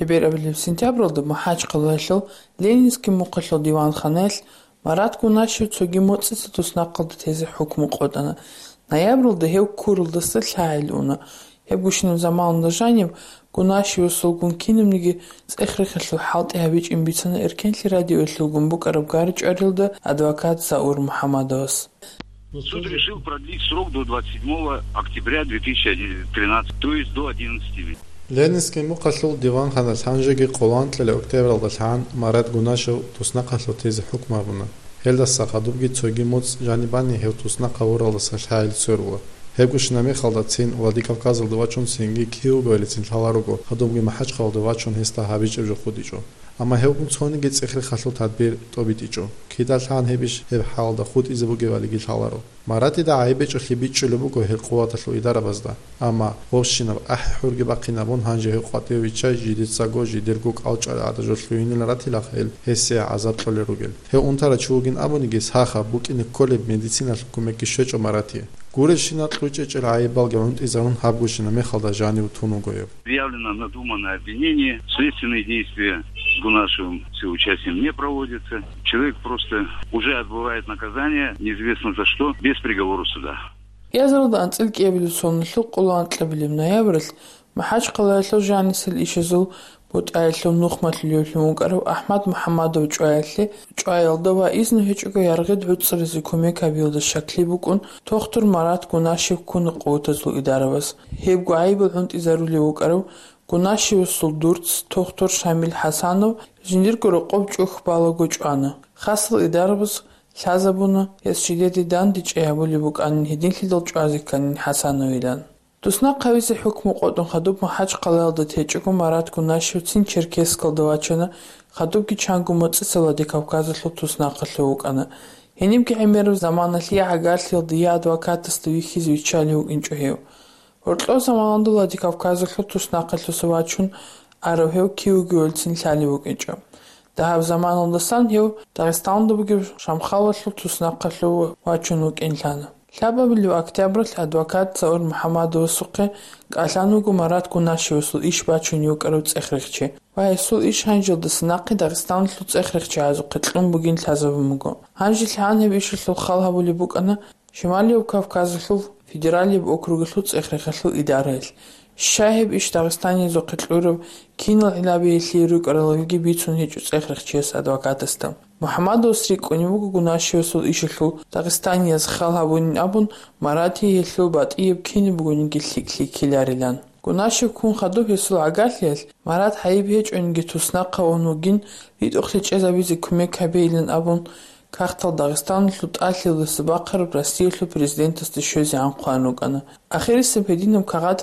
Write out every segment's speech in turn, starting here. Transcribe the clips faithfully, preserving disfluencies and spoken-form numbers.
ХӀеберабилеб сентябралда МахӀачхъалаялъул Ленинский мухъалъул диванханаялъ Марат Гунашев цоги моцӀица туснахъалда тезе хӀукму къотӀана. Ноябралда гьев ккуралдаса лъагӀел уна. Гьеб гущинаб заманалда жаниб Гунашевасулгун кинабниги цӀех-рехалъул хӀалтӀи гьабичӀин бицана Эркенлъи радиоялъулгун букӀараб гар-чӀварилда адвокат Заур МухӀаммадовас. Суд решил продлить срок до двадцать седьмого октября две тысячи тринадцатого, то есть до одиннадцати месяцев. Ленинский мухъалъул диванханалъ гьанжеги къоло анкьила октябралда лъан Марат Гунашев туснахъалъув тезе хӀукму гьабуна. Гьелдаса хадубги цоги моцӀ жанибани гьев туснахъа вуралдаса лъагӀел цорула. Гьеб гущинаб мехалда цин Владикавказалда вачун цинги кив вугевалицин лъала руго, хадубги МахӀачхъалда вачун гьесда гьабичӀеб жо хутӀичӀо. Амма гьевгун цониги цӀех-рехалъул тадбир тӀобитӀичӀо. Кидалъан гьеб иш гьеб хӀалда хутӀизе бугевалиги лъаларо. Маратида гӀайиб гьечӀолъи бичӀчӀулеб буго гьел къуваталъул идарабазда. Амма гъобщинаб ахӀи-хӀурги бахъинабун гьанже гьев къватӀиве виччай жидецаго жидерго кӀалчӀал гӀадажо лъугьинел ратилахъ гьел гьесие гӀазаб кьолел ругел. Гьев унтарав чи вугин абуниги, сахаб букӀине кколеб медициналъул кумекги щвечӀо Маратие. Гуребщинал кьучӀечӀел гӀайибалги гӀунтӀизарун гьаб гущинаб мехалда жанив тун вуго гьев. Заявлено надуманное обвинение. Следственные действия с Гунашевым, с его участием не проводятся. Человек просто уже отбывает наказание, неизвестно за что, без приговора суда. Язаралда анцӀил кӀиабилеб соналъул къоло анкьабилеб ноябралъ МахӀачхъалаялъул жанисел ишазул бутӀаялъул нухмалъулевлъун вукӀарав АхӀмад МухӀаммадов чӀваялъе, чӀваялда ва изну гьечӀого яргъид гӀуцӀаризе кумек гьабиялда щаклъи букӀун, тохтур Марат Гунашев ккуна къуватазул идарабаз. Гьебго гӀайибал гӀунтӀизарулев вукӀарав Гунашевасул дурц, тохтур Шамил ХӀасанов, жиндирго рокъоб чӀухь балаго чӀвана. Хасал идарабаз лъазабуна, гьес жидеде дандечӀей гьабулеб букӀанин гьединлъидал чӀвазе кканин ХӀасановилан. Туснахъ гьавизе хӀукму къотӀун хадуб МахӀачхъалаялда течӀого Марат Гунашев цин Черкесскалда вачана, хадубги чанго моцӀица Владикавказалъул туснахъалъув вукӀана. Гьенибги гӀемераб заманалъ я гӀагарлъиялда, я адвокатасда вихьизе виччалев вукӀинчӀо гьев. Гьоркьоб заманалда Владикавказалъул туснахъалъуса вачун арав гьев кив вугевалцин лъалев вукӀинчӀо. Дагьаб заманалдасан гьев Дагъистаналда бугеб Шамхалалъул туснахъалъув вачун вукӀин лъана. Лъабабилеб октябралъ адвокат Заур МухӀаммадовасухъе кӀалъан вуго Марат Гунашевасул иш бачунев вукӀарав цӀех-рехчи ва гьесул иш гьанжелдаса нахъе Дагъистаналъул цӀех-рехчи гӀазухъе кьун бугин лъазабун буго. Гьанже лъагӀан гьеб ишалъул хал гьабулеб букӀана Шималияб Кавказалъул федералияб округалъул цӀех-рехалъул идараялъ. Щай гьеб иш дагъистаниязухъе кьураб, кинал гӀиллаби гьелъие рукӀаралилги бицун гьечӀо цӀех-рехчияс адвокатасда. МухӀаммадовас рикӀкӀунеб буго Гунашевасул ишалъул Дагъистанияз хал гьабунин абун, Маратие гьелъул батӀияб кинаб бугониги лъикӀ-лъикӀлъиларилан. Гунашев ккун хадуб гьесул гӀагарлъиялъ, Марат гӀайиб гьечӀониги туснахъав вугин, ритӀухълъи чӀезабизе кумек гьабейилан абун, кагътал Дагъистаналъул тӀалъиялдаса бахъараб Россиялъул президентасда щвезегӀан хъван рукӀана. Ахирисеб гьединаб кагъат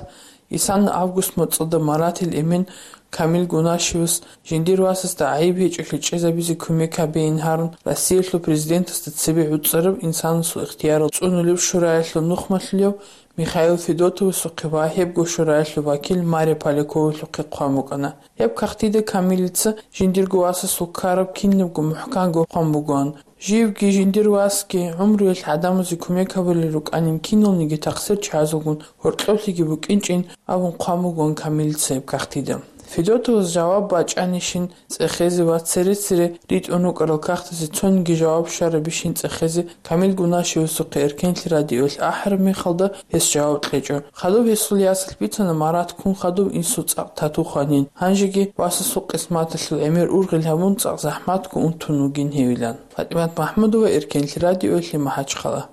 исана август моцӀалда Маратил эмен Камил Гунашевас жиндир васасда гӀайиб гьечӀолъи чӀезабизе кумек гьабейин гьарун, Россиялъул президентасда цебе гӀуцӀараб инсанасул ихтиярал цӀунулеб шураялъул нухмалъулев Михаил Федотовасухъе ва гьебго шураялъул вакил Мария Поляковалъухъе хъван букӀана. Гьеб кагътида Камилица жиндирго васасул ккараб кинабго мухӀканго хъван бугоан. Живги, жиндир васги, гӀумруялъ гӀадамазе кумек гьабулел рукӀанин киналниги тахсирчагӀазулгун гьоркьоблъиги букӀинчӀин абун хъван бугоан Камилица гьеб кагътида. Федотовас жаваб бачӀанищин цӀехезе ва цере-цере ритӀун рукӀарал кагътазе цониги жаваб щварабищин цӀехезе Камил Гунашевасухъе Эркенлъи радиоялъ ахӀараб мехалда гьес жаваб кьечӀо. Хадуб гьесул ясалъ бицана Марат ккун хадуб инсул цӀакъ тату хванин. Гьанжеги васасул къисматалъул гӀемер ургъел гьабун цӀакъ захӀматго унтун вугин гьевилан. ФатӀимат МахӀмудова, Эркенлъи радиоялъе, МахӀачхъала.